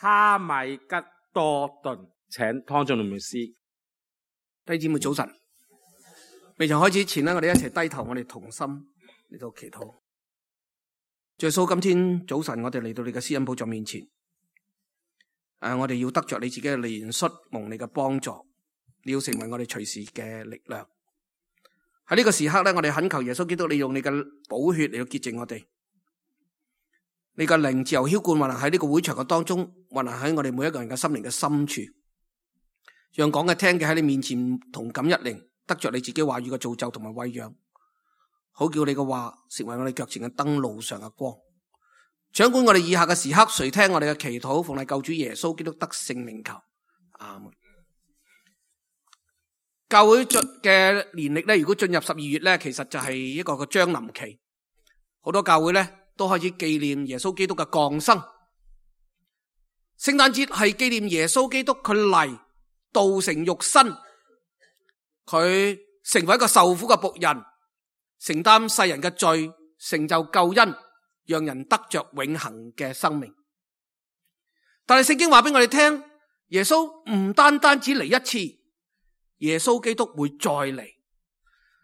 哈米吉多頓，請湯俊龍牧師。弟兄姊妹早晨，未曾開始前呢，我哋一齊低頭，我哋同心嚟到祈禱。主耶穌，今天早晨我哋嚟到你嘅施恩寶座面前，我哋要得着你自己嘅憐恤，蒙你嘅幫助，你要成為我哋隨時嘅力量。喺呢個時刻咧，我哋懇求耶穌基督，你用你嘅寶血嚟到潔淨我哋。你嘅靈自由澆灌運行喺呢個會場嘅當中，運行喺我哋每一個人嘅心靈嘅深處，讓講嘅聽嘅喺你面前同感一靈，得着你自己話語嘅造就同埋餵養，好叫你嘅話成為我哋腳前嘅燈，路上嘅光。掌管我哋以下嘅時刻，垂聽我哋嘅祈禱，奉你救主耶穌基督得勝名求，阿門。教會嘅年曆咧，如果進入12月咧，其實就係一個將臨期，好多教會咧都開始紀念耶穌基督嘅降生。聖誕節係紀念耶穌基督佢嚟道成肉身，佢成為一個受苦嘅僕人，承擔世人嘅罪，成就救恩，讓人得着永恆嘅生命。但係聖經話俾我哋聽，耶穌唔單單只嚟一次，耶穌基督會再嚟。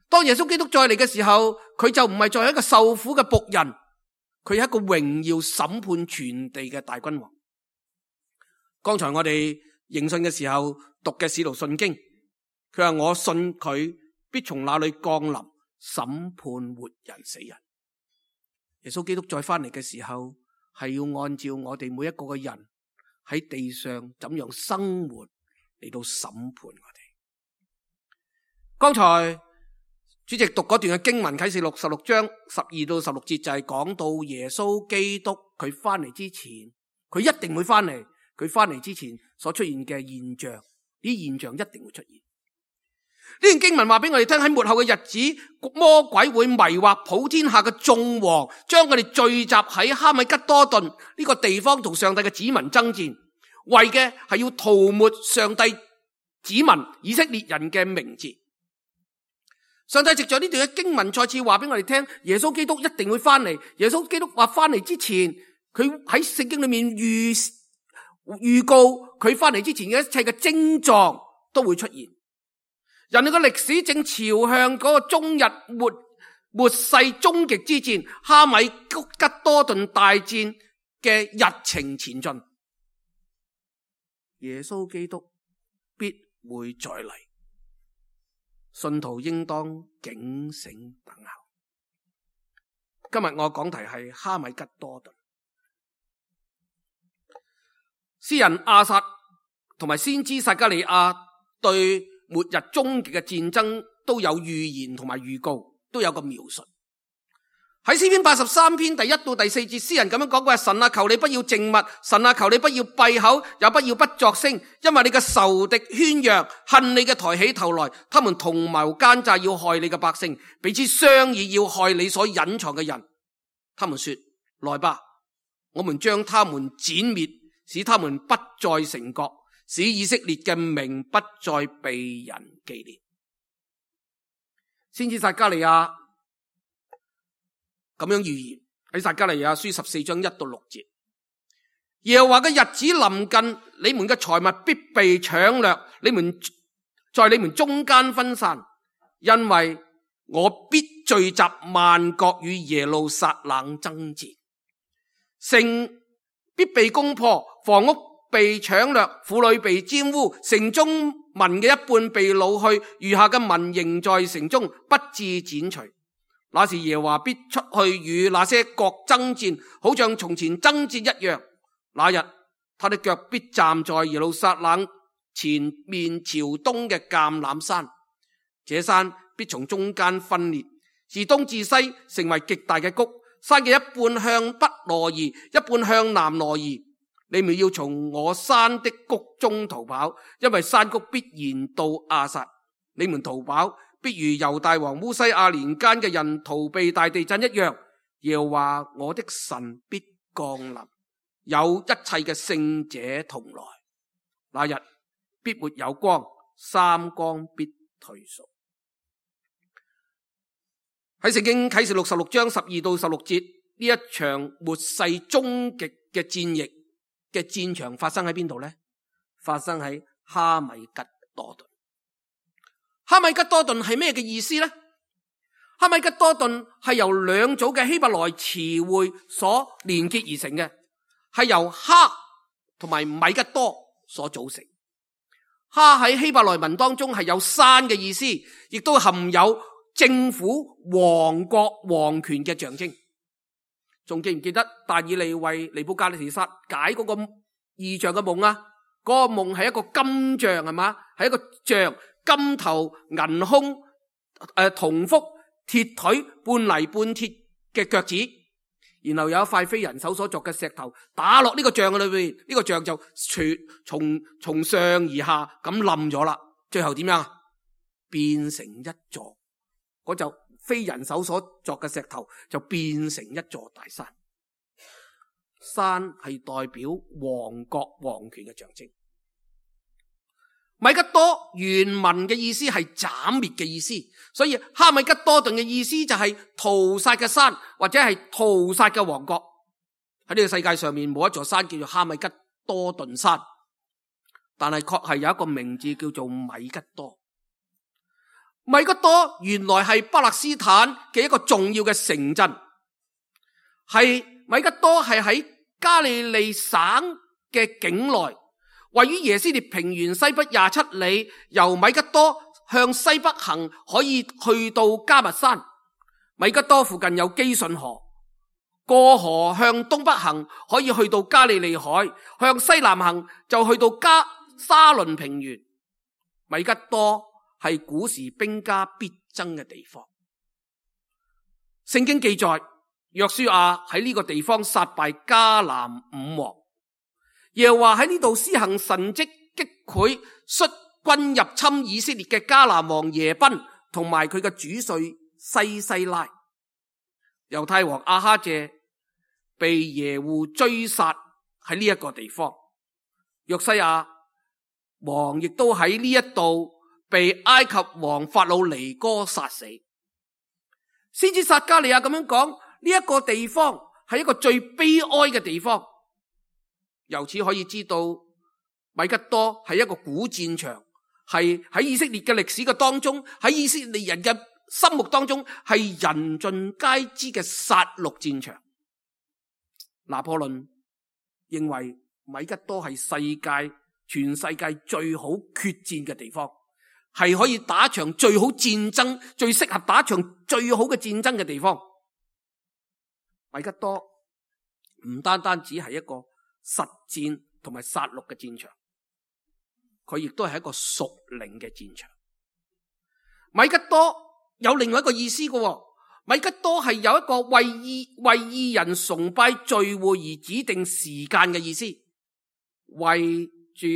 當耶穌基督再嚟嘅時候，佢就唔係再一個受苦嘅僕人，佢係一個榮耀審判全地嘅大君王。剛才我哋迎信嘅時候讀嘅使徒信經，佢話我信佢必從那裏降臨審判活人死人。耶穌基督再翻嚟嘅時候，係要按照我哋每一個嘅人喺地上怎樣生活嚟到審判我哋。剛才主席讀嗰段嘅經文，啟示錄16章12到16節，就係講到耶穌基督佢翻嚟之前，佢一定會翻嚟，佢翻嚟之前所出現嘅現象，呢現象一定會出現。呢段經文話俾我哋聽，喺末後嘅日子，魔鬼會迷惑普天下嘅眾王，將佢哋聚集喺哈米吉多頓呢個地方，同上帝嘅子民爭戰，為嘅係要塗抹上帝子民以色列人嘅名字。上帝藉着呢段嘅經文再次話俾我哋聽，耶穌基督一定會翻嚟。耶穌基督話翻嚟之前，佢喺聖經裏面預告佢翻嚟之前嘅一切嘅徵狀都會出現。人類嘅歷史正朝向嗰個終日末世終極之戰，哈米吉多頓大戰嘅日程前進。耶穌基督必會再嚟。信徒應當警醒等候。今日我講題係哈米吉多頓。詩人亞薩同埋先知撒迦利亞對末日終極嘅戰爭都有預言同埋預告，都有個描述。喺詩篇83篇第1到第4節，詩人咁樣講過：神啊，求你不要靜默，神啊，求你不要閉口，也不要不作聲，因為你嘅仇敵喧嚷，恨你嘅抬起頭來，他們同謀奸詐，要害你嘅百姓，彼此商議，要害你所隱藏嘅人。他們說：來吧，我們將他們剪滅，使他們不再成國，使以色列嘅名不再被人紀念。先知撒迦利亞咁樣預言喺撒迦利亞書14章1到6節，耶和華嘅日子臨近，你們嘅財物必被搶掠，你們在你們中間分散，因為我必聚集萬國與耶路撒冷爭戰，城必被攻破，房屋被搶掠，婦女被玷污，城中民嘅一半被擄去，餘下嘅民仍在城中，不致剪除。那時耶和華必出去與那些國爭戰，好像從前爭戰一樣。那日他的腳必站在耶路撒冷前面朝東嘅橄欖山，這山必從中間分裂，自東至西成為極大嘅谷，山嘅一半向北挪移，一半向南挪移。你們要從我山的谷中逃跑，因為山谷必然到亞撒。你們逃跑必如猶大王烏西亞年間嘅人逃避大地震一樣。耶和華我的神必降臨，有一切嘅聖者同來。那日必沒有光，三光必退縮。喺聖經啟示錄16章12到16節，呢一場末世終極嘅戰役嘅戰場發生喺邊度呢？發生喺哈米吉多頓。哈米吉多頓係咩嘅意思呢？哈米吉多頓係由兩組嘅希伯來詞彙所連結而成嘅，係由哈同埋米吉多所組成。哈喺希伯來文當中係有山嘅意思，亦都含有政府、王國、王權嘅象徵。仲記唔記得但以理為尼布甲尼撒解嗰個異象嘅夢啊？嗰個夢係一個金像，係嘛？係一個像，金頭銀胸，銅腹鐵腿，半泥半鐵嘅腳趾，然後有一塊非人手所作嘅石頭打落呢個像嘅裏邊，呢個像就從上而下咁冧咗啦。最後點樣？變成一座，嗰就非人手所作嘅石頭就變成一座大山。山係代表王國王權嘅象徵。米吉多原文嘅意思係斬滅嘅意思，所以哈米吉多頓嘅意思就係屠殺嘅山，或者係屠殺嘅王國。喺呢個世界上面冇一座山叫做哈米吉多頓山，但係確係有一個名字叫做米吉多。米吉多原來係巴勒斯坦嘅一個重要嘅城鎮，米吉多係喺加利利省嘅境內，位於耶斯列平原西北27里，由米吉多向西北行可以去到迦密山。米吉多附近有基順河，過河向東北行可以去到加利利海，向西南行就去到沙倫平原。米吉多係古時兵家必爭嘅地方。聖經記載，約書亞喺呢個地方殺敗迦南5王。耶和華喺呢度施行神蹟，擊潰率軍入侵以色列嘅迦南王耶賓同埋佢嘅主帥西拉。猶太王亞哈謝被耶戶追殺喺呢一個地方。約西亞王亦都喺呢一度被埃及王法老尼哥殺死。先知撒迦利亞咁樣講，呢一個地方係一個最悲哀嘅地方。由此可以知道，米吉多係一個古戰場，係喺以色列嘅歷史嘅當中，喺以色列人嘅心目當中係人盡皆知嘅殺戮戰場。拿破崙認為米吉多係全世界最好決戰嘅地方，係可以打場最好戰爭，最適合打場最好嘅戰爭嘅地方。米吉多唔單單只係一個實戰同埋殺戮嘅戰場，佢亦都係一個屬靈嘅戰場。米吉多有另外一個意思嘅，米吉多係有一個為義人崇拜聚會而指定時間嘅意思，為住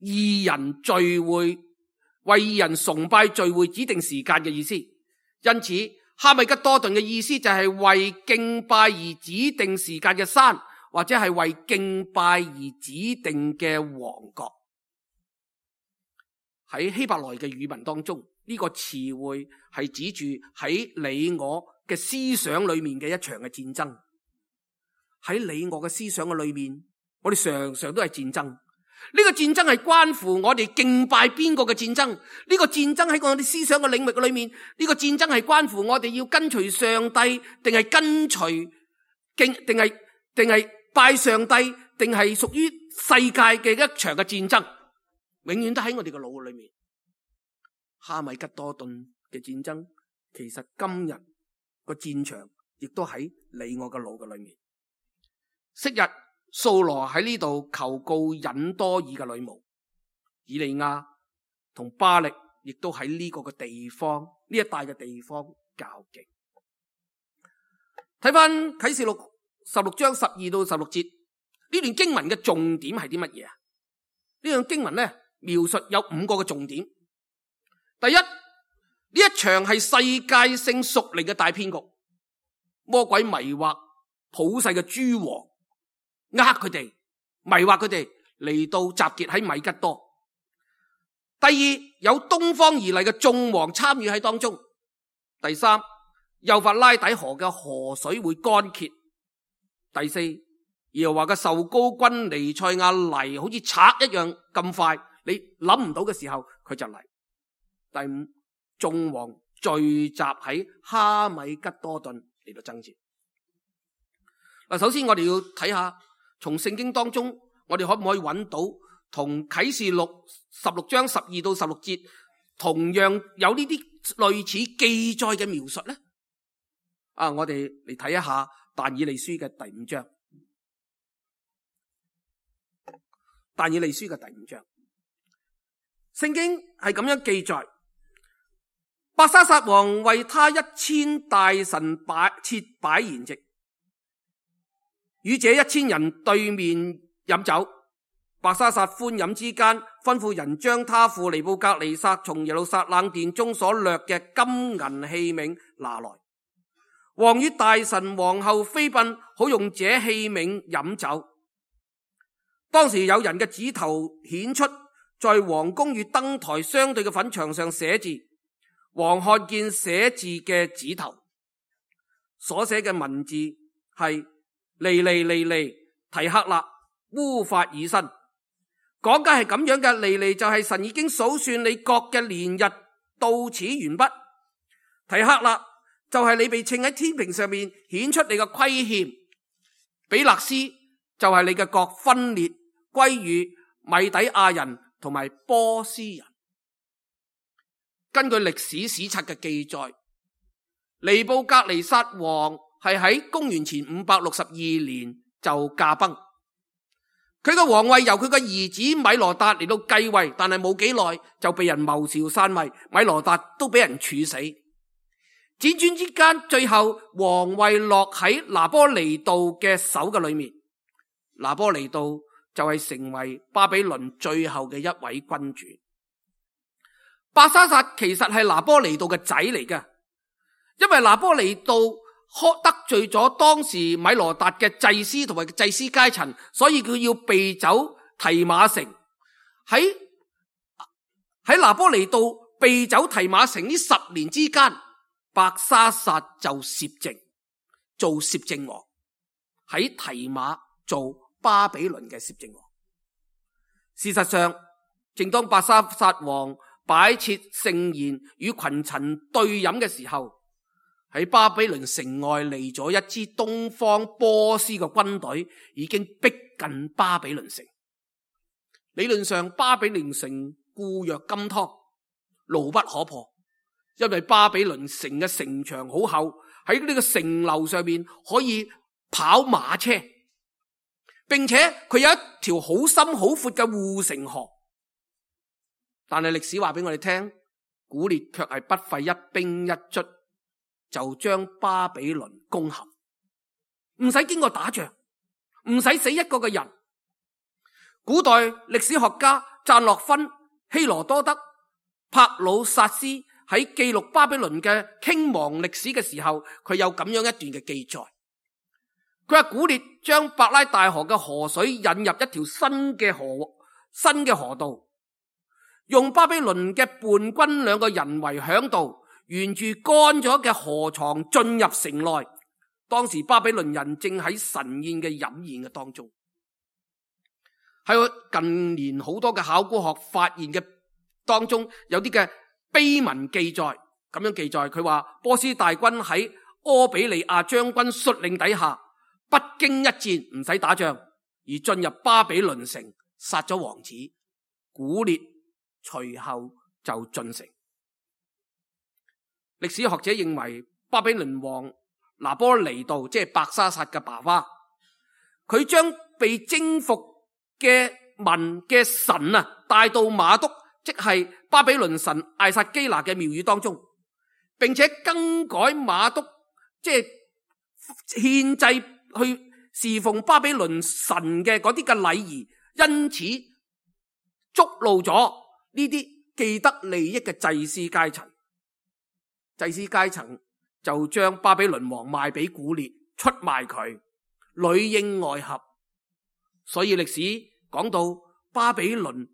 義人聚會，為義人崇拜聚會指定時間嘅意思。因此哈米吉多頓嘅意思就係為敬拜而指定時間嘅山，或者係為敬拜而指定嘅王國。喺希伯來嘅語文當中，呢個詞彙係指住喺你我嘅思想裏面嘅一場嘅戰爭。喺你我嘅思想嘅裏面，我哋常常都係戰爭。呢個戰爭係關乎我哋敬拜邊個嘅戰爭。呢個戰爭喺我哋思想嘅領域嘅裏面，呢個戰爭係關乎我哋要跟隨上帝，定係跟隨定係拜上帝，定係屬於世界嘅一場嘅戰爭，永遠都喺我哋嘅腦裏面。哈米吉多頓嘅戰爭，其實今日個戰場亦都喺你我嘅腦嘅裏面。昔日掃羅喺呢度求告隱多爾嘅女巫，以利亞同巴力亦都喺呢個嘅地方，呢一帶嘅地方較勁。睇翻啟示錄16章12到16節，呢段經文嘅重點係啲乜嘢啊？呢段經文咧描述有5個嘅重點。第一，呢一場係世界性屬靈嘅大騙局，魔鬼迷惑普世嘅諸王，佢哋迷惑佢哋嚟到集結喺米吉多。第二，有東方而嚟嘅眾王參與喺當中。第三，幼發拉底河嘅河水會乾竭。第四，耶和華嘅受膏君彌賽亞嚟，好似賊一樣咁快，你諗唔到嘅時候佢就嚟。第五，眾王聚集喺哈米吉多頓嚟到爭戰。嗱，首先我哋要睇下，從聖經當中，我哋可唔可以揾到同啟示錄16章12到16節同樣有呢啲類似記載嘅描述呢？我哋嚟睇一下但以理書嘅第5章。但以理書嘅第5章，聖經係咁樣記載：伯沙撒王為他1000大臣設擺筵席，與這1000人對面飲酒。伯沙撒歡飲之間，吩咐人將他父尼布格尼撒從耶路撒冷殿中所掠嘅金銀器皿拿來。王與大臣王后妃嬪好用這器皿飲酒。當時有人嘅指頭顯出，在王宮與燈台相對嘅粉牆上寫字。王看見寫字嘅指頭，所寫嘅文字係尼尼尼尼提克勒烏法爾新。講解係咁樣嘅，尼尼就係神已經數算你國嘅年日到此完畢。提克勒就係你被稱喺天平上面顯出你嘅虧欠。比勒斯就係你嘅國分裂歸於米底亞人同埋波斯人。根據歷史史冊嘅記載，尼布格尼撒王係喺公元前562年就駕崩。佢嘅皇位由佢嘅兒子米羅達嚟到繼位，但係冇幾耐就被人謀朝篡位，米羅達都俾人處死。輾轉之間，最後皇位落喺拿波尼度嘅手嘅裏面。拿波尼度就係成為巴比倫最後嘅一位君主。伯沙撒其實係拿波尼度嘅仔嚟嘅，因為拿波尼度得罪咗當時米羅達嘅祭司同埋祭司階層，所以佢要避走提馬城。喺拿波尼度避走提馬城呢10年之間，伯沙撒就攝政，做攝政王，喺提馬做巴比倫嘅攝政王。事實上，正當伯沙撒王擺設盛宴與群臣對飲嘅時候，喺巴比倫城外嚟咗一支東方波斯嘅軍隊，已經逼近巴比倫城。理論上，巴比倫城固若金湯，牢不可破，因為巴比倫城嘅城牆好厚，喺呢個城樓上面可以跑馬車，並且佢有一條好深好闊嘅護城河。但係歷史話俾我哋聽，古列卻係不費一兵一卒就將巴比倫攻陷，唔使經過打仗，唔使死一個嘅人。古代歷史學家贊洛芬、希羅多德、帕魯薩斯喺記錄巴比倫嘅傾亡歷史嘅時候，佢有咁樣一段嘅記載。佢話古列將伯拉大河嘅河水引入一條新嘅河道，用巴比倫嘅叛軍2個人為嚮導，沿住乾咗嘅河床進入城內。當時巴比倫人正喺神宴嘅飲宴嘅當中。喺近年好多嘅考古學發現嘅當中，有啲嘅碑文記載，咁樣記載，佢話波斯大軍喺柯比利亞將軍率領底下，不經一戰，唔使打仗而進入巴比倫城，殺咗王子古列，隨後就進城。歷史學者認為巴比倫王拿波尼度，即係伯沙撒嘅爸爸，佢將被征服嘅民嘅神帶到馬督，即係巴比倫神艾撒基拿嘅廟宇當中，並且更改馬督即係獻祭去侍奉巴比倫神嘅嗰啲嘅禮儀，因此觸怒咗呢啲既得利益嘅祭司階層。祭司階層就將巴比倫王賣俾古列，出賣佢，裏應外合。所以歷史講到巴比倫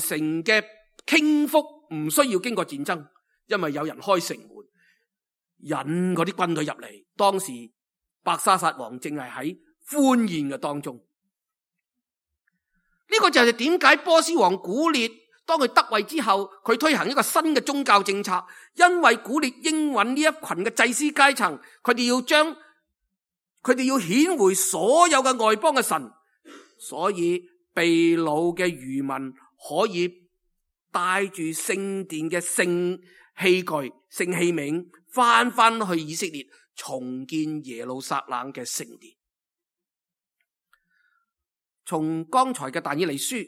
城嘅傾覆唔需要經過戰爭，因為有人開城門引嗰啲軍隊入嚟。當時伯沙撒王正係喺歡宴嘅當中。呢個就係點解波斯王古列當佢得位之後，佢推行一個新嘅宗教政策，因為古列應允呢一群嘅祭司階層，佢哋要顯回所有嘅外邦嘅神，所以被擄嘅餘民可以帶住聖殿嘅聖器具、聖器皿翻去以色列，重建耶路撒冷嘅聖殿。從剛才嘅但以理書、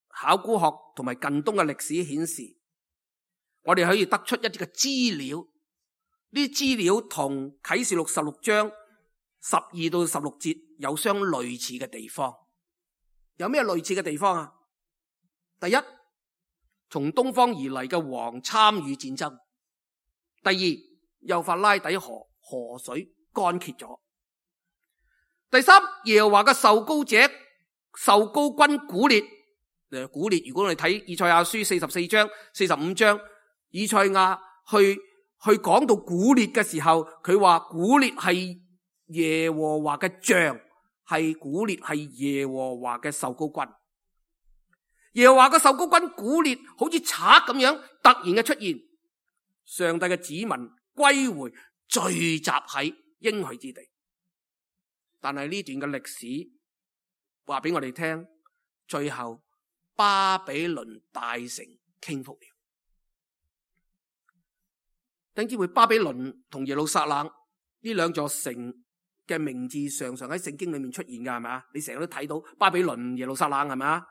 考古學同埋近東嘅歷史顯示，我哋可以得出一啲嘅資料。呢啲資料同啟示錄16章12到16節有相類似嘅地方。有咩類似嘅地方啊？第一，從東方而嚟嘅王參與戰爭。第二，幼發拉底河水乾竭咗。第三，耶和華嘅受膏者、受膏君古列。古列，如果我哋睇以賽亞書44章、45章，以賽亞去講到古列嘅時候，佢話古列係耶和華嘅像，古列係耶和華嘅受膏君。耶和華嘅受膏君古列好似賊咁樣突然嘅出現，上帝嘅子民歸回，聚集喺應許之地。但係呢段嘅歷史話俾我哋聽，最後巴比倫大城傾覆了。弟兄姊妹，巴比倫同耶路撒冷呢兩座城嘅名字常常喺聖經裏面出現㗎，係咪啊？你成日都睇到巴比倫、耶路撒冷，係咪啊？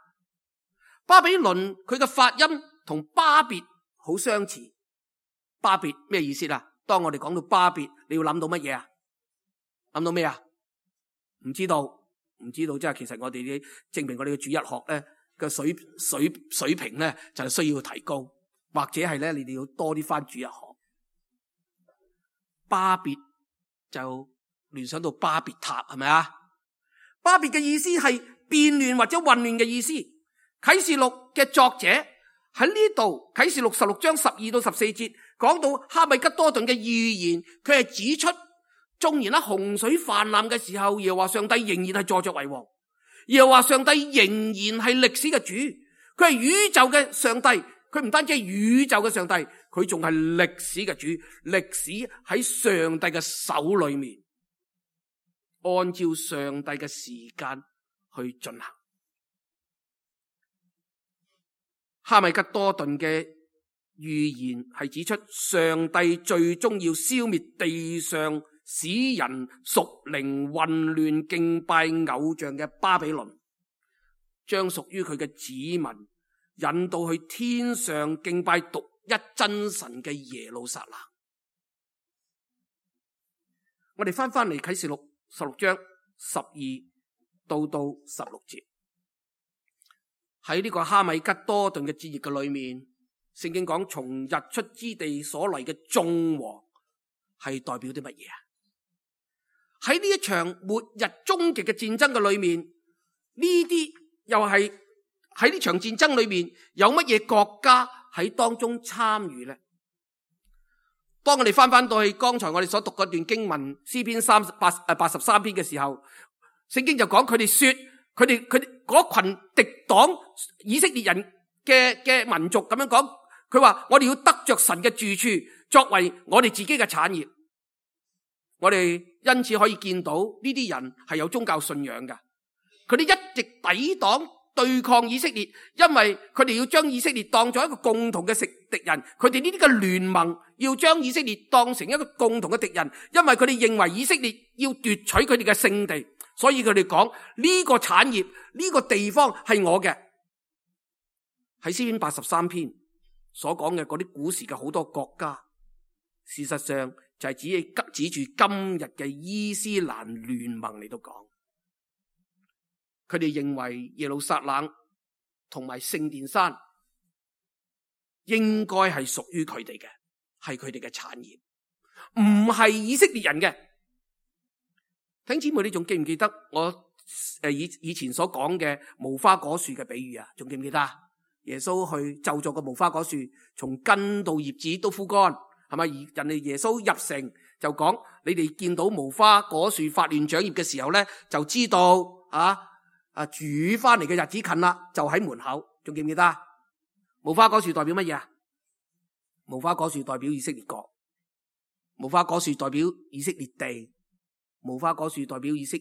巴比倫佢嘅發音同巴別好相似。巴別咩意思啊？當我哋講到巴別，你要諗到乜嘢啊？諗到咩啊？唔知道，即係其實我哋證明我哋嘅主日學咧嘅水平咧就係需要提高，或者係咧你哋要多啲返主日學。巴別就聯想到巴別塔，係咪啊？巴別嘅意思係變亂或者混亂嘅意思。啟示錄嘅作者喺呢度，啟示錄16章12到14節講到哈米吉多頓嘅預言，佢係指出縱然喺洪水泛濫嘅時候，耶和華上帝仍然係坐著為王，耶和華上帝仍然係歷史嘅主，佢係宇宙嘅上帝，佢唔單止係宇宙嘅上帝，佢仲係歷史嘅主，歷史喺上帝嘅手裏面，按照上帝嘅時間去進行。哈米吉多頓嘅預言係指出上帝最終要消滅地上使人屬靈混亂敬拜偶像嘅巴比倫，將屬於佢嘅子民引導去天上敬拜獨一真神嘅耶路撒冷。我哋翻嚟啟示錄16章12到16節。喺呢個哈米吉多頓嘅節日嘅裏面，聖經講從日出之地所嚟嘅眾王係代表啲乜嘢啊？喺呢一場末日終極嘅戰爭嘅裏面，呢啲又係喺呢場戰爭裏面有乜嘢國家喺當中參與呢？當我哋翻到去剛才我哋所讀嗰段經文詩篇83篇嘅時候，聖經就講佢哋說佢哋嗰群敵擋以色列人嘅民族咁樣講，佢話我哋要得着神嘅住處作為我哋自己嘅產業。我哋因此可以見到呢啲人係有宗教信仰㗎，佢哋一直抵擋對抗以色列，因為佢哋要將以色列當作一個共同嘅敵人，佢哋呢啲嘅聯盟要將以色列當成一個共同嘅敵人，因為佢哋認為以色列要奪取佢哋嘅聖地，所以佢哋講呢個產業呢個地方係我嘅。喺詩篇83篇所講嘅嗰啲古時嘅好多國家，事實上就係指住今日嘅伊斯蘭聯盟嚟到講，佢哋認為耶路撒冷同埋聖殿山應該係屬於佢哋嘅，係佢哋嘅產業，唔係以色列人嘅。弟兄姊妹，你仲記唔記得我以前所講嘅無花果樹嘅比喻啊？仲記唔記得？耶穌去咒詛個無花果樹，從根到葉子都枯乾，係咪？人哋耶穌入城就講，你哋見到無花果樹發亂長葉嘅時候咧，就知道主翻嚟嘅日子近啦，就喺門口。仲記唔記得啊？無花果樹代表乜嘢啊？無花果樹代表以色列國，無花果樹代表以色列地，無花果樹代表以色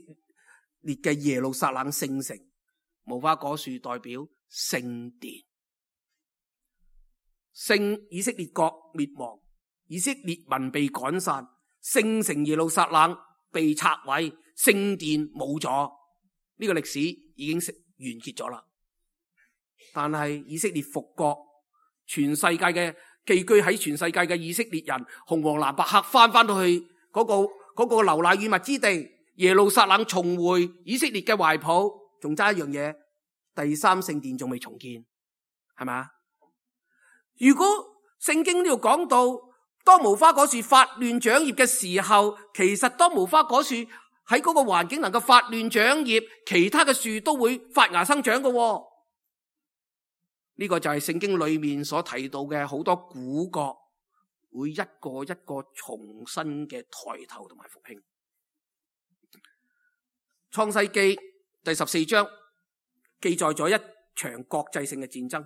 列嘅耶路撒冷聖城，無花果樹代表聖殿。以色列國滅亡，以色列民被趕散，聖城耶路撒冷被拆毀，聖殿冇咗，呢個歷史已經完結咗啦。但係以色列復國，全世界嘅寄居喺全世界嘅以色列人，紅黃藍白黑翻到去嗰個流奶與蜜之地，耶路撒冷重回以色列嘅懷抱。仲差一樣嘢，第三聖殿仲未重建，係咪？如果聖經呢度講到，當無花果樹發亂長葉嘅時候，其實當無花果樹喺嗰個環境能夠發亂長葉，其他嘅樹都會發芽生長嘅。呢個就係聖經裏面所提到嘅好多古國會一個一個重新嘅抬頭同埋復興。創世記第14章記載咗一場國際性嘅戰爭。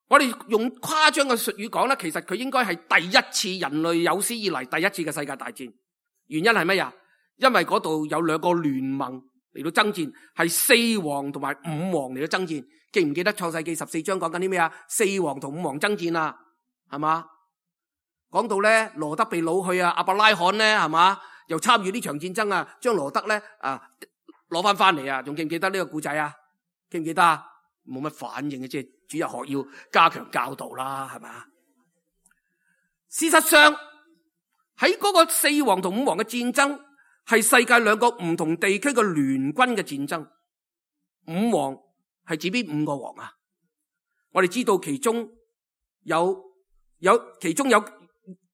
我哋用誇張嘅術語講咧，其實佢應該係第一次人類有史以嚟第一次嘅世界大戰。原因係乜嘢？因為嗰度有兩個聯盟嚟到爭戰，係四王同埋五王嚟到爭戰。記唔記得創世記14章講緊啲咩啊？四王同五王爭戰啊，係嘛？講到咧羅德被擄去啊，亞伯拉罕咧係嘛，又參與呢場戰爭啊，將羅德咧攞翻嚟啊，仲記唔記得呢個故仔啊？記唔記得啊？冇乜反應嘅，即係主日學要加強教導啦，係嘛？事實上喺嗰個四王同五王嘅戰爭，係世界兩個唔同地區嘅聯軍嘅戰爭。五王係指邊五個王啊？我哋知道其中有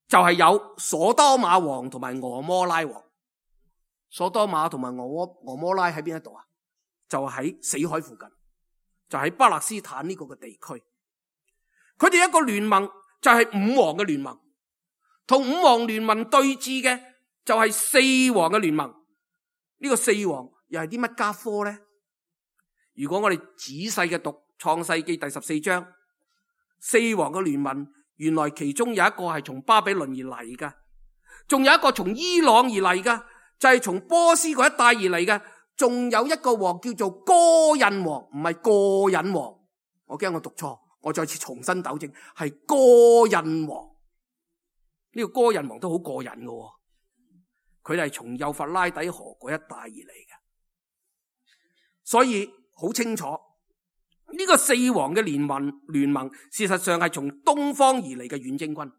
就係有所多瑪王同埋俄摩拉王。所多瑪同埋俄摩拉喺邊一度啊？就喺死海附近，就喺巴勒斯坦呢個嘅地區。佢哋一個聯盟就係五王嘅聯盟，同五王聯盟對峙嘅就係四王嘅聯盟。呢個四王又係啲乜家科呢？如果我哋仔細嘅讀創世記第14章，四王嘅聯盟原來其中有一個係從巴比倫而嚟噶，仲有一個從伊朗而嚟噶，就係從波斯嗰一帶而嚟嘅。仲有一個王叫做哥印王，唔係個人王。我驚我讀錯，我再次重新糾正，係哥印王。呢個哥印王都好過癮嘅，佢係從幼發拉底河嗰一帶而嚟嘅，所以好清楚呢個四王嘅聯盟事實上係從東方而嚟嘅遠征軍。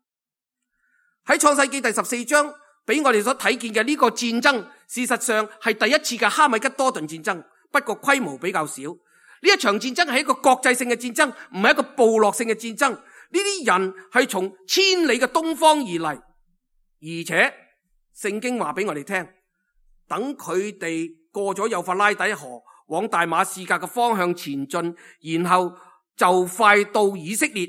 喺創世記第14章俾我哋所睇見嘅呢個戰爭，事實上係第一次嘅哈米吉多頓戰爭，不過規模比較少。呢一場戰爭係一個國際性嘅戰爭，唔係一個部落性嘅戰爭。呢啲人係從千里嘅東方而嚟，而且聖經話俾我哋聽，等佢哋過咗幼發拉底河，往大馬士革嘅方向前進，然後就快到以色列。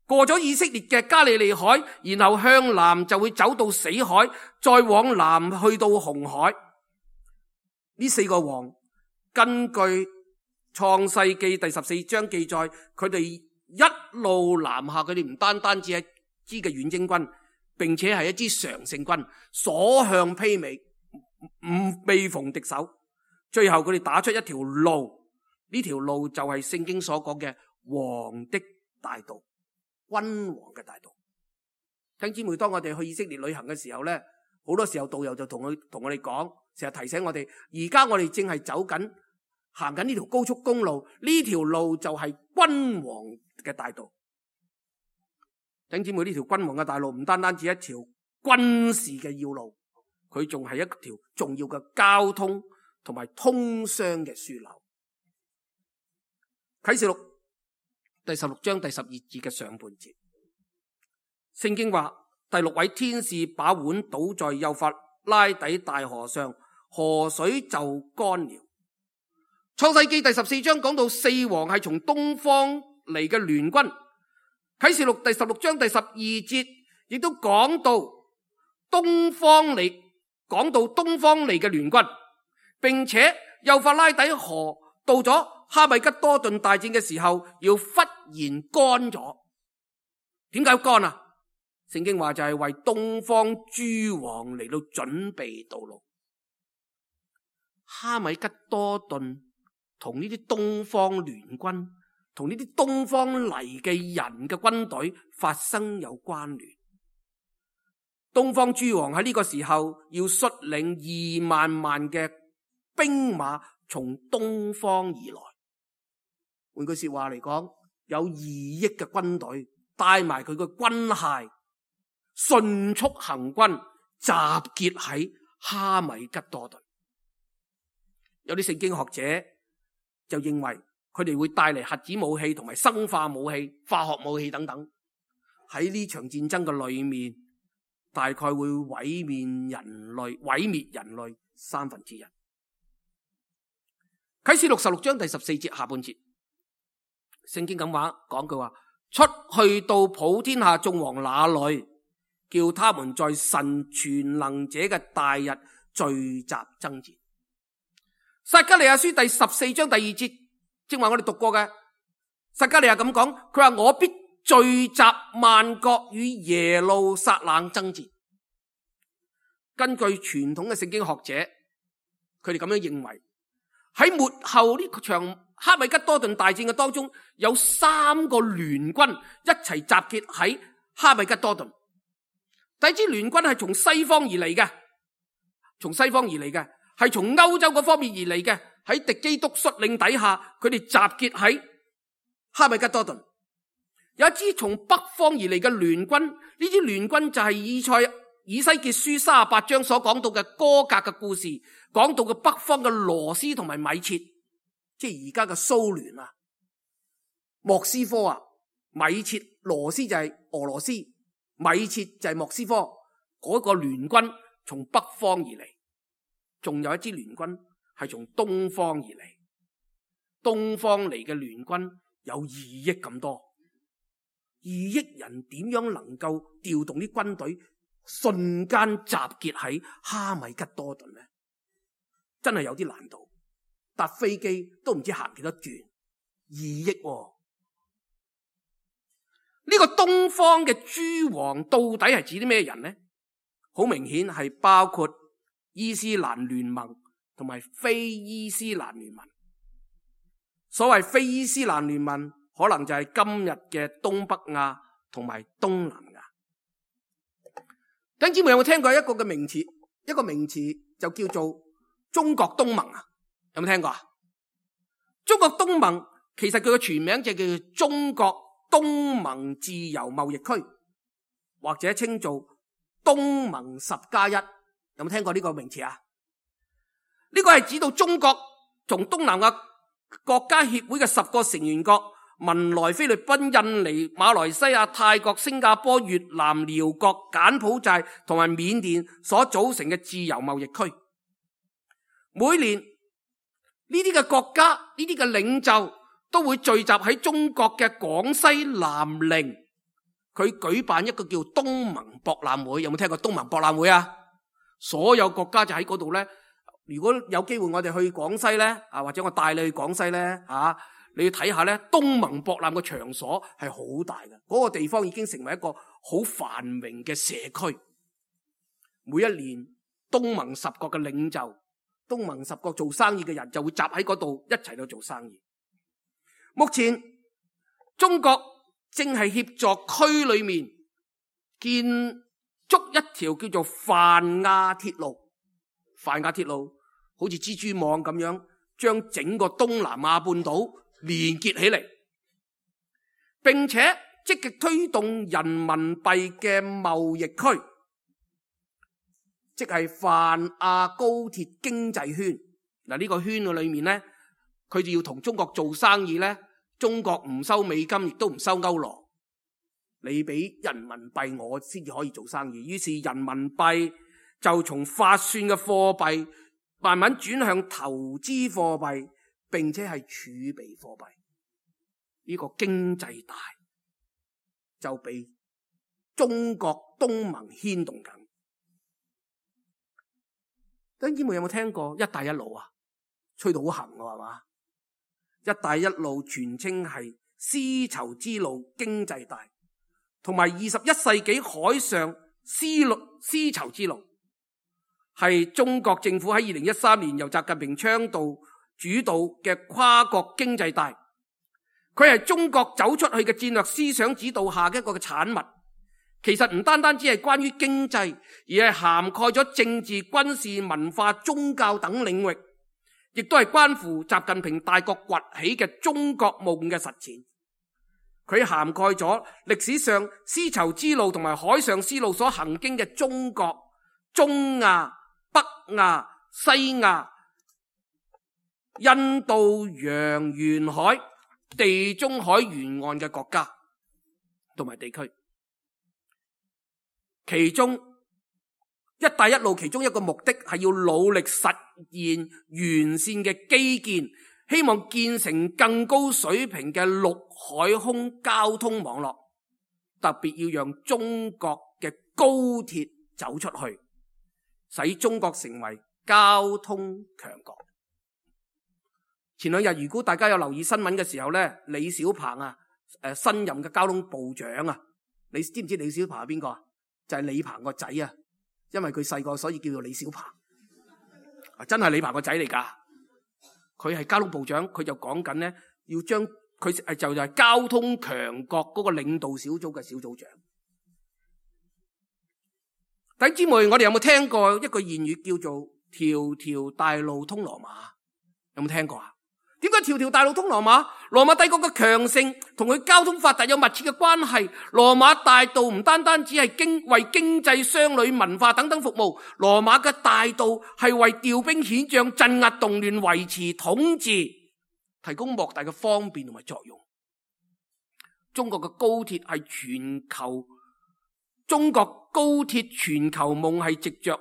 過咗以色列嘅加利利海，然後向南就會走到死海，再往南去到紅海。呢四個王根據創世記第14章記載，佢哋一路南下，佢哋唔單止係一支嘅遠征軍，並且係一支常勝軍，所向披靡，未逢敵手。最後佢哋打出一條路，呢條路就係聖經所講嘅王的大道，君王嘅大道。弟兄姊妹，當我哋去以色列旅行嘅時候咧，好多時候導遊就同我哋講，成日提醒我哋，而家我哋正係行緊呢條高速公路，呢條路就係君王嘅大道。弟兄姊妹，呢條君王嘅大路唔單止一條軍事嘅要路，佢仲係一條重要嘅交通同埋通商嘅樞紐。啟示錄第16章第12節嘅上半節，聖經話，第6位天使把碗倒在幼發拉底大河上，河水就乾了。創世記第14章講到四王係從東方嚟嘅聯軍。啟示錄第16章第12節亦都講到，東方嚟，講到東方嚟嘅聯軍，並且幼發拉底河到咗哈米吉多頓大戰嘅時候，要忽然乾咗。點解乾啊？聖經話就係為東方諸王嚟到準備道路。哈米吉多頓同呢啲東方聯軍，同呢啲東方嚟嘅人嘅軍隊發生有關聯。東方諸王喺呢個時候要率領2萬萬嘅兵馬從東方而來。換句說話嚟講，有2億嘅軍隊帶埋佢嘅軍械，迅速行軍，集結喺哈米吉多頓。有啲聖經學者就認為佢哋會帶嚟核子武器同埋生化武器、化學武器等等，喺呢場戰爭嘅裏面，大概會毀滅人類1/3。啟示錄16章第14節下半節，聖經咁講句話：出去到普天下眾王那裏，叫他們在神全能者嘅大日聚集爭戰。撒迦利亞書第14章第2節，正話我哋讀過嘅，撒迦利亞咁講，佢話我必聚集萬國與耶路撒冷爭戰。根據傳統嘅聖經學者，佢哋咁樣認為，喺末後呢場哈米吉多頓大戰嘅當中，有3個聯軍一齊集結喺哈米吉多頓。第一支聯軍係從西方而嚟嘅，係從歐洲嗰方面而嚟嘅，喺敵基督率領底下，佢哋集結喺哈米吉多頓。有一支從北方而嚟嘅聯軍，呢支聯軍就係以西結書38章所講到嘅歌革嘅故事，講到嘅北方嘅羅斯同埋米設，即係而家嘅蘇聯啊，莫斯科啊，米設羅斯就係俄羅斯，米設就係莫斯科，嗰個聯軍從北方而嚟。仲有一支聯軍係從東方而嚟，東方嚟嘅聯軍有2億咁多，2億人點樣能夠調動啲軍隊瞬間集結喺哈米吉多頓呢？真係有啲難度，搭飛機都唔知行幾多轉，2億喎。呢個東方嘅諸王到底係指啲咩人呢？好明顯係包括伊斯蘭聯盟同埋非伊斯蘭聯盟。所謂非伊斯蘭聯盟，可能就係今日嘅東北亞同埋東南亞。弟兄姊妹有冇聽過一個名詞？一個名詞就叫做中國東盟啊？有冇聽過啊？中國東盟其實佢嘅全名就叫做中國東盟自由貿易區，或者稱做東盟10+1。有冇聽過呢個名詞啊？呢個係指到中國從東南亞國家協會嘅10個成員國文萊、菲律賓、印尼、馬來西亞、泰國、新加坡、越南、寮國、柬埔寨同埋緬甸所組成嘅自由貿易區。每年呢啲嘅國家、呢啲嘅領袖都會聚集喺中國嘅廣西南寧，佢舉辦一個叫東盟博覽會。有冇聽過東盟博覽會啊？所有國家就喺嗰度咧。如果有機會我哋去廣西咧，或者我帶你去廣西咧，你要睇下咧，東盟博覽嘅場所係好大嘅，嗰個地方已經成為一個好繁榮嘅社區。每一年東盟10國嘅領袖、東盟10國做生意嘅人就會集喺嗰度一齊去做生意。目前中國正係協助區裏面建築一條叫做泛亞鐵路。泛亞鐵路好似蜘蛛網咁樣，將整個東南亞半島連結起嚟，並且積極推動人民幣嘅貿易區，即係泛亞高鐵經濟圈。嗱，呢個圈嘅裏面咧，佢哋要同中國做生意咧，中國唔收美金，亦都唔收歐羅，你俾人民幣我先至可以做生意。於是人民幣就從發算嘅貨幣慢慢轉向投資貨幣，並且係儲備貨幣。呢個經濟大就被中國東盟牽動緊。弟兄姊妹有冇聽過一帶一路啊？吹到好行喎，係嘛？一帶一路全稱係絲綢之路經濟帶，同埋21世紀海上絲綢之路，係中國政府喺2013年由習近平倡導主導嘅跨國經濟帶。佢係中國走出去嘅戰略思想指導下嘅一個嘅產物。其實唔單單只係關於經濟，而係涵蓋咗政治、軍事、文化、宗教等領域，亦都係關乎習近平大國崛起嘅中國夢嘅實踐。佢涵蓋咗歷史上絲綢之路同埋海上絲路所行經嘅中國、中亞、北亞、西亞、印度洋沿海、地中海沿岸嘅國家同埋地區。其中一帶一路其中一個目的係要努力實現完善嘅基建，希望建成更高水平嘅陸海空交通網絡，特別要讓中國嘅高鐵走出去，使中國成為交通強國。前兩日如果大家有留意新聞嘅時候呢，李小鵬啊，新任嘅交通部長啊，你知唔知李小鵬係邊個啊？就係李鵬個仔啊，因為佢細個所以叫做李小鵬，真係李鵬個仔嚟噶。佢係交通部長，佢就講緊咧，要將佢就係交通強國嗰個領導小組嘅小組長。弟兄姊妹，我哋有冇聽過一個諺語叫做條條大路通羅馬？有冇聽過啊？點解條條大路通羅馬？羅馬帝國嘅強盛同佢交通發達有密切嘅關係。羅馬大道唔單單只係為經濟、商旅、文化等等服務，羅馬嘅大道係為調兵遣將、鎮壓動亂、維持統治提供莫大嘅方便同埋作用。中國嘅高鐵係全球，中國高鐵全球夢係藉着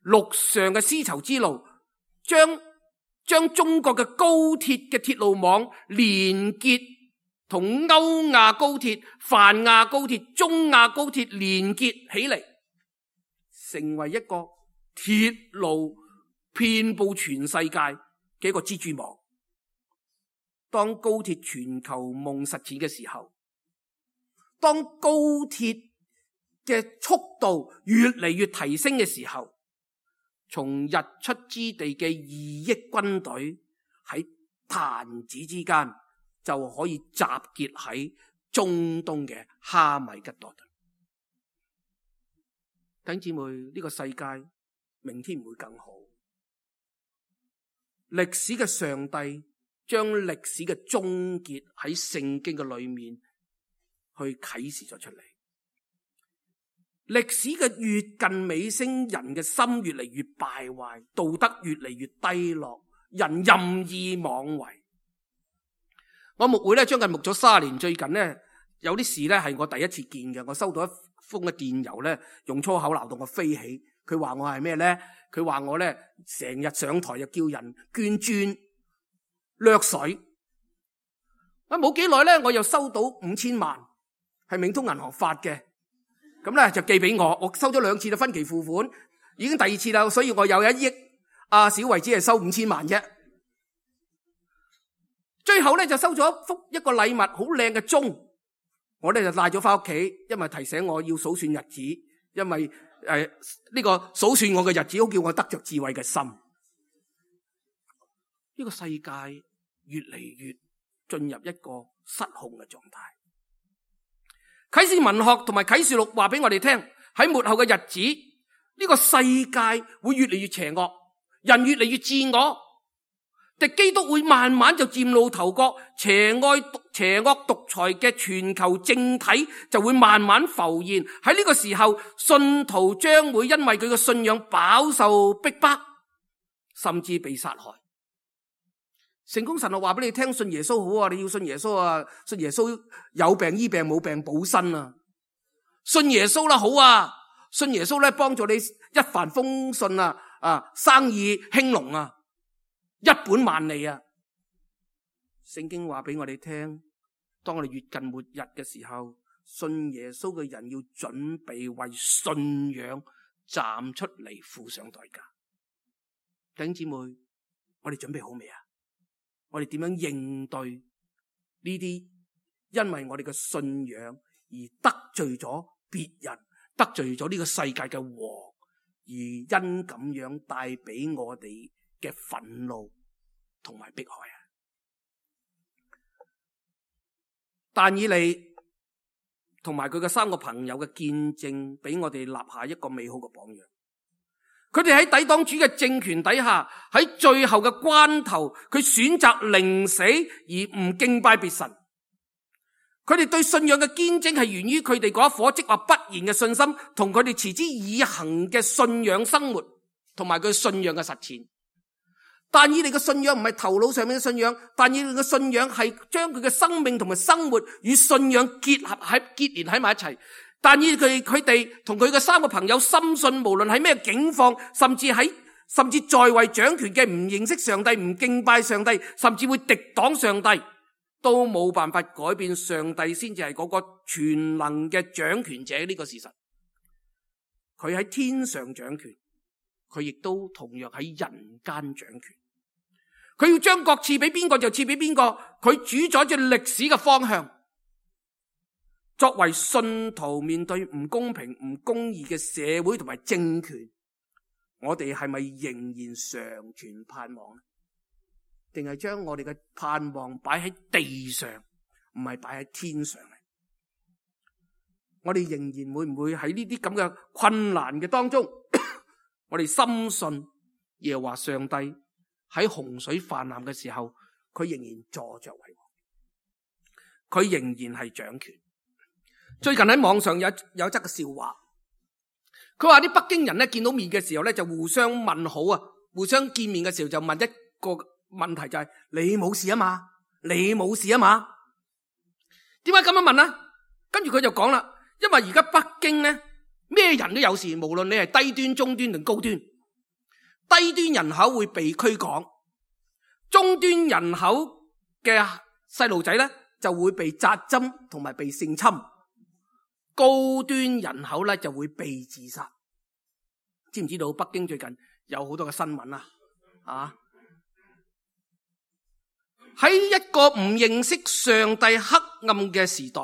陸上嘅絲綢之路，將中國嘅高鐵嘅鐵路網連結同歐亞高鐵、泛亞高鐵、中亞高鐵連結起嚟，成為一個鐵路遍布全世界嘅一個蜘蛛網。當高鐵全球夢實踐嘅時候，當高鐵嘅速度越嚟越提升嘅時候，從日出之地嘅2億軍隊喺彈指之間就可以集結喺中東嘅哈米吉多頓。弟兄姊妹，呢個世界明天唔會更好。歷史嘅上帝將歷史嘅終結喺聖經嘅裏面去啟示咗出嚟。歷史嘅越近尾聲，人嘅心越嚟越敗壞，道德越嚟越低落，人任意妄為。我牧會咧將近牧咗30年，最近咧有啲事咧係我第一次見嘅。我收到一封嘅電郵咧，用粗口鬧到我飛起。佢話我係咩咧？佢話我咧成日上台就叫人捐磚、掠水。冇幾耐咧，我又收到5000萬，係冥通銀行發嘅。咁咧就寄俾我，我收咗2次啦，分期付款，已經第2次啦，所以我有1億。阿小維只係收5000萬啫。最後咧就收咗一個禮物，好靚嘅鐘，我咧就帶咗翻屋企，因為提醒我要數算日子，因為呢個數算我嘅日子，好叫我得着智慧嘅心。呢個世界越嚟越進入一個失控嘅狀態。啟示文學同埋啟示錄話俾我哋聽，喺末後嘅日子，呢個世界會越嚟越邪惡，人越嚟越自我，敵基督會慢慢就嶄露頭角，邪惡獨裁嘅全球政體就會慢慢浮現。喺呢個時候，信徒將會因為佢嘅信仰飽受逼迫，甚至被殺害。成功神學話俾你聽，信耶穌好啊，你要信耶穌啊，信耶穌有病醫病，冇病補身啊，信耶穌啦好啊，信耶穌咧幫助你一帆風順啊，生意興隆啊，一本萬利啊。聖經話俾我哋聽，當我哋越近末日嘅時候，信耶穌嘅人要準備為信仰站出嚟付上代價。弟兄姊妹，我哋準備好未啊？我哋點樣應對呢啲因為我哋嘅信仰而得罪咗別人，得罪咗呢個世界嘅王，而因咁樣帶俾我哋嘅憤怒同埋迫害啊？但以理同埋佢嘅3個朋友嘅見證，俾我哋立下一個美好嘅榜樣。佢哋喺抵擋主嘅政權底下，喺最後嘅關頭，佢選擇寧死而唔敬拜別神。佢哋對信仰嘅堅貞係源於佢哋嗰一顆即話不言嘅信心，同佢哋持之以恆嘅信仰生活，同埋佢信仰嘅實踐。但以理嘅信仰唔係頭腦上面嘅信仰，但以理嘅信仰係將佢嘅生命同埋生活與信仰結連喺埋一齊。但以理佢哋同佢嘅3個朋友深信，無論喺咩境況，甚至在位掌權嘅唔認識上帝、唔敬拜上帝，甚至會敵擋上帝，都冇辦法改變上帝先至係嗰個全能嘅掌權者呢個事實。佢喺天上掌權，佢亦都同樣喺人間掌權。佢要將國賜俾邊個就賜俾邊個，佢主宰住歷史嘅方向。作為信徒面對唔公平、唔公義嘅社會同埋政權，我哋係咪仍然常存盼望呢？定係將我哋嘅盼望擺喺地上，唔係擺喺天上呢？我哋仍然會唔會喺呢啲咁嘅困難嘅當中，我哋深信耶和華上帝喺洪水泛濫嘅時候，佢仍然坐着為王，佢仍然係掌權。最近喺網上有則嘅笑話，佢話啲北京人咧見到面嘅時候咧就互相問好啊，互相見面嘅時候就問一個問題，就係你冇事啊嘛？你冇事啊嘛？點解咁樣問啊？跟住佢就講啦，因為而家北京咧咩人都有事，無論你係低端、中端定高端。低端人口會被驅趕，中端人口嘅細路仔咧就會被扎針同埋被性侵。高端人口咧就會被自殺。知唔知道北京最近有好多嘅新聞啊？喺一個唔認識上帝黑暗嘅時代，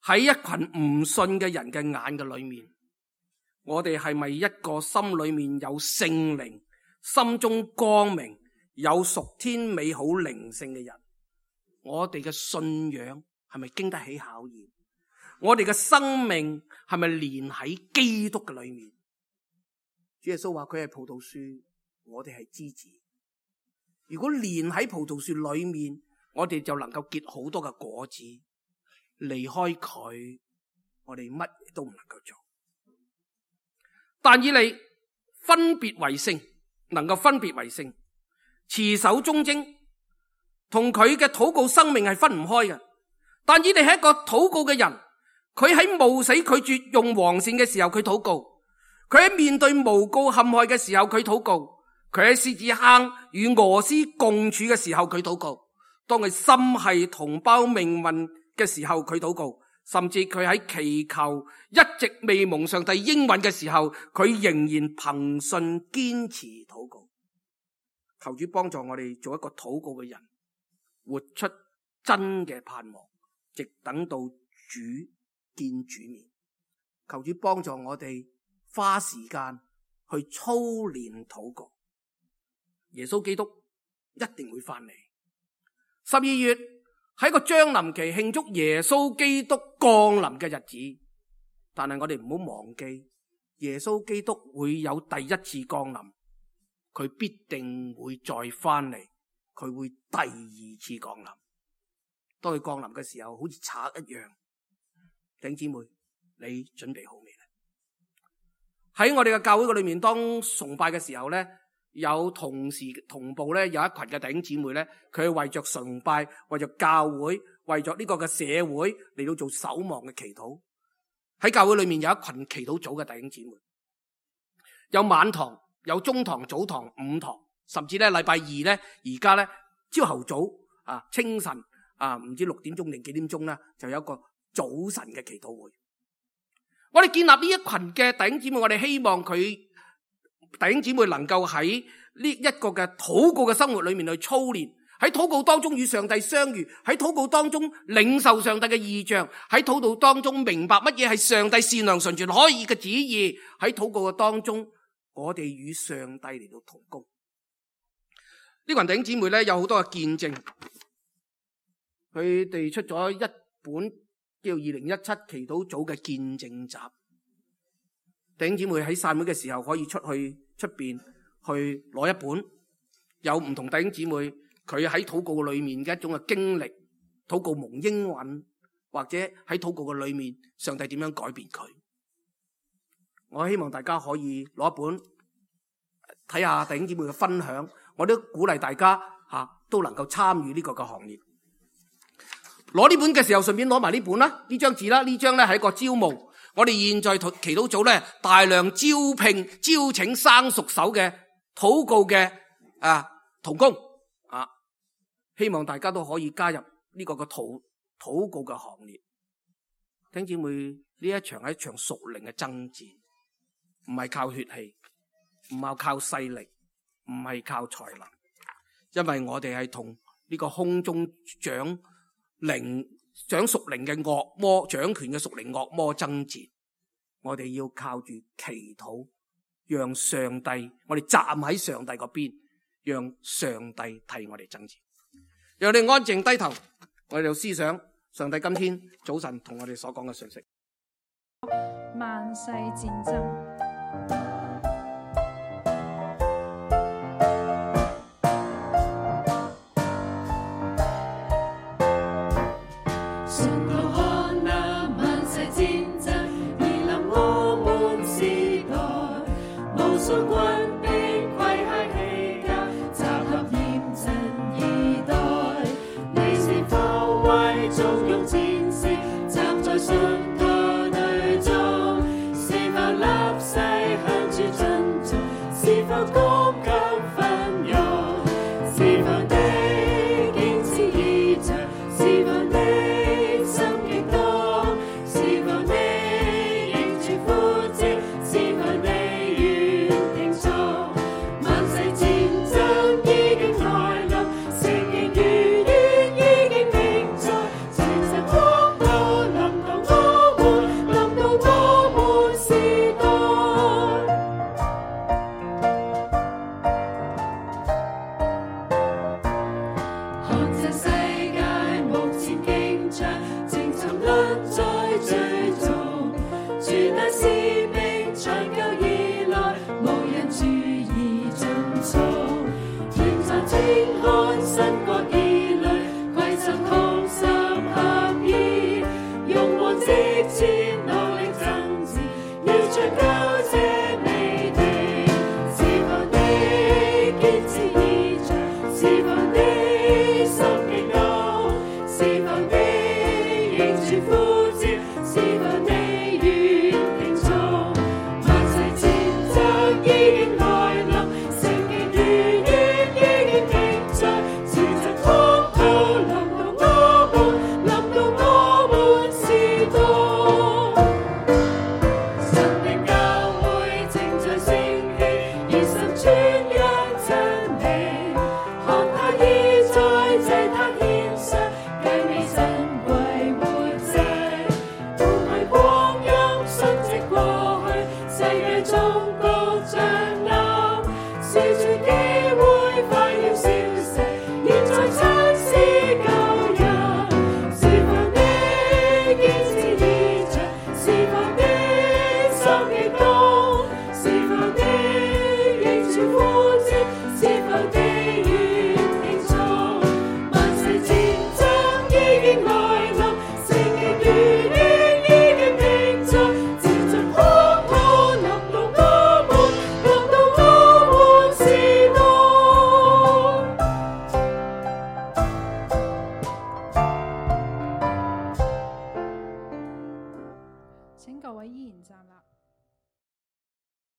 喺一群唔信嘅人嘅眼嘅裏面，我哋係咪一個心裏面有聖靈、心中光明、有屬天美好靈性嘅人？我哋嘅信仰係咪經得起考驗？我哋嘅生命係咪連喺基督嘅裏面？主耶穌話佢係葡萄樹，我哋係枝子。如果連喺葡萄樹裏面，我哋就能夠結好多嘅果子。離開佢，我哋乜都唔能夠做。但以理分別為聖，能夠分別為聖，持守忠貞，同佢嘅禱告生命係分唔開嘅。但以理係一個禱告嘅人。佢喺冒死拒絕用黃線嘅時候，佢禱告；佢喺面對誣告陷害嘅時候，佢禱告；佢喺獅子坑與俄斯共處嘅時候，佢禱告；當佢心繫同胞命運嘅時候，佢禱告；甚至佢喺祈求一直未蒙上帝應允嘅時候，佢仍然憑信堅持禱告。求主幫助我哋做一個禱告嘅人，活出真嘅盼望，直等到主見主面。求主幫助我哋花時間去操練禱告。耶穌基督一定會翻嚟。12月係個將臨期，慶祝耶穌基督降臨嘅日子。但係我哋唔好忘記，耶穌基督會有第一次降臨，佢必定會再翻嚟，佢會第二次降臨。當佢降臨嘅時候，好似賊一樣。弟兄姊妹，你準備好未咧？喺我哋嘅教會嘅裏面，當崇拜嘅時候咧，有同時同步咧，有一群嘅弟兄姊妹咧，佢係為着崇拜、為着教會、為着呢個嘅社會嚟到做守望嘅祈禱。喺教會裏面有一群祈禱組嘅弟兄姊妹，有晚堂、有中堂、早堂、午堂，甚至咧禮拜二咧，而家咧朝頭早清晨唔知6點鐘定幾點鐘啦，就有一個早晨嘅祈禱會。我哋建立呢一群嘅弟兄姊妹，我哋希望佢弟兄姊妹能夠喺呢一個嘅禱告嘅生活裏面去操練，喺禱告當中與上帝相遇，喺禱告當中領受上帝嘅異象，喺禱告當中明白乜嘢係上帝善良純全可以嘅旨意，喺禱告嘅當中我哋與上帝嚟到同工。呢群弟兄姊妹咧有好多嘅見證，佢哋出咗一本叫2017祈禱組嘅見證集。弟兄姊妹喺散會嘅時候可以出邊去攞一本，有唔同弟兄姊妹佢喺禱告裏面嘅一種嘅經歷，禱告蒙應允，或者喺禱告嘅裏面上帝點樣改變佢。我希望大家可以攞一本睇下弟兄姊妹嘅分享，我都鼓勵大家都能夠參與呢個嘅行列。攞呢本嘅時候順便攞埋呢本啦，呢張紙啦，呢張咧係一個招募。我哋現在祈禱組咧大量招請生熟手嘅禱告嘅同工希望大家都可以加入呢個嘅禱告嘅行列。弟兄姊妹，呢一場係一場屬靈嘅爭戰，唔係靠血氣，唔係靠勢力，唔係靠才能，因為我哋係同呢個空中掌屬靈嘅惡魔，掌權嘅屬靈惡魔爭戰。我哋要靠住祈禱，讓上帝，我哋站喺上帝嗰邊，讓上帝替我哋爭戰。讓我哋安靜低頭，我哋就思想上帝今天早晨同我哋所講嘅信息。萬世戰爭。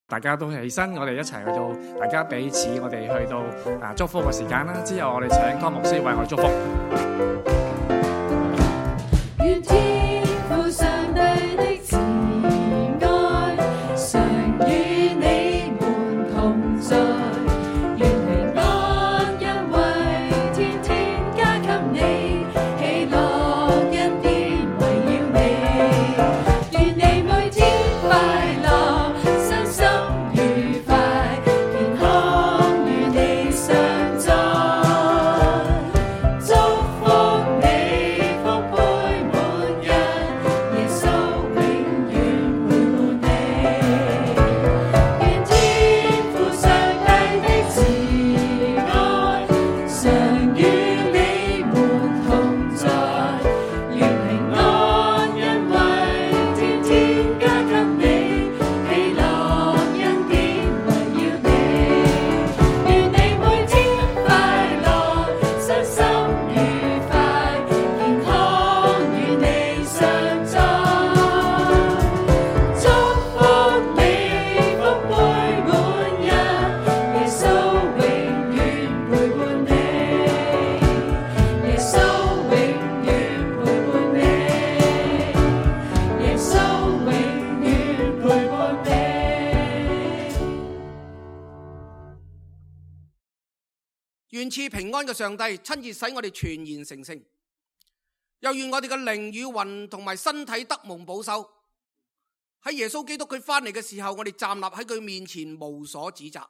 大家都起身，我哋一齊去到，大家彼此我哋去到祝福嘅時間啦。之後我哋請湯牧師為我哋祝福。願天父上帝的慈愛常與你們同賜平安嘅上帝親自使我哋全然成聖，又願我哋嘅靈與魂同埋身體得蒙保守。喺耶穌基督佢翻嚟嘅時候，我哋站立喺佢面前無所指責。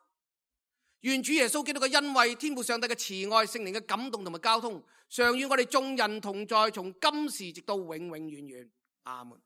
願主耶穌基督嘅恩惠、天父上帝嘅慈愛、聖靈嘅感動同埋交通，常與我哋眾人同在，從今時直到永永遠遠。阿門。